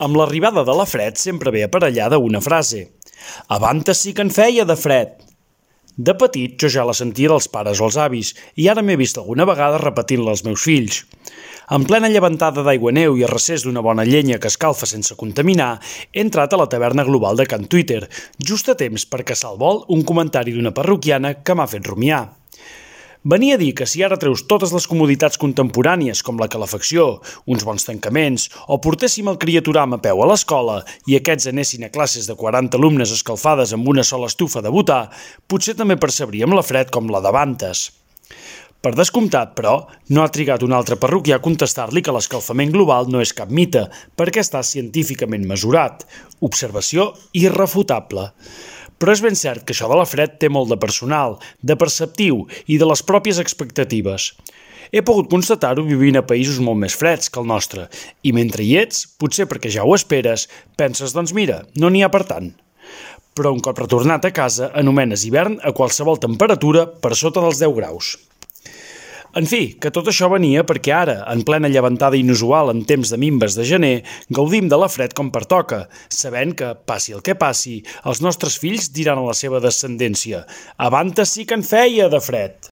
Amb l'arribada de la fred sempre ve aparellada una frase: «Abantes sí que en feia de fred!». De petit jo ja la sentia dels pares o els avis i ara m'he vist alguna vegada repetint-la als meus fills. En plena llevantada d'aigua-neu i a recés d'una bona llenya que escalfa sense contaminar, he entrat a la taverna global de Can Twitter, just a temps per caçar al vol un comentari d'una parroquiana que m'ha fet rumiar. Venia a dir que si ara treus totes les comoditats contemporànies com la calefacció, uns bons tancaments o portéssim el criaturam a peu a l'escola i aquests anessin a classes de 40 alumnes escalfades amb una sola estufa de butà, potser també percebríem la fred com la d'Abantes. Per descomptat, però, no ha trigat un altre parroquià a contestar-li que l'escalfament global no és cap mite, perquè està científicament mesurat. Observació irrefutable. Però és ben cert que això de la fred té molt de personal, de perceptiu i de les pròpies expectatives. He pogut constatar-ho vivint a països molt més freds que el nostre, i mentre hi ets, potser perquè ja ho esperes, penses, doncs mira, no n'hi ha per tant. Però un cop retornat a casa, anomenes hivern a qualsevol temperatura per sota dels 10 graus. En fi, que tot això venia perquè ara, en plena llevantada inusual en temps de minves de gener, gaudim de la fred com pertoca, sabent que, passi el que passi, els nostres fills diran a la seva descendència: «Abantes sí que en feia de fred!».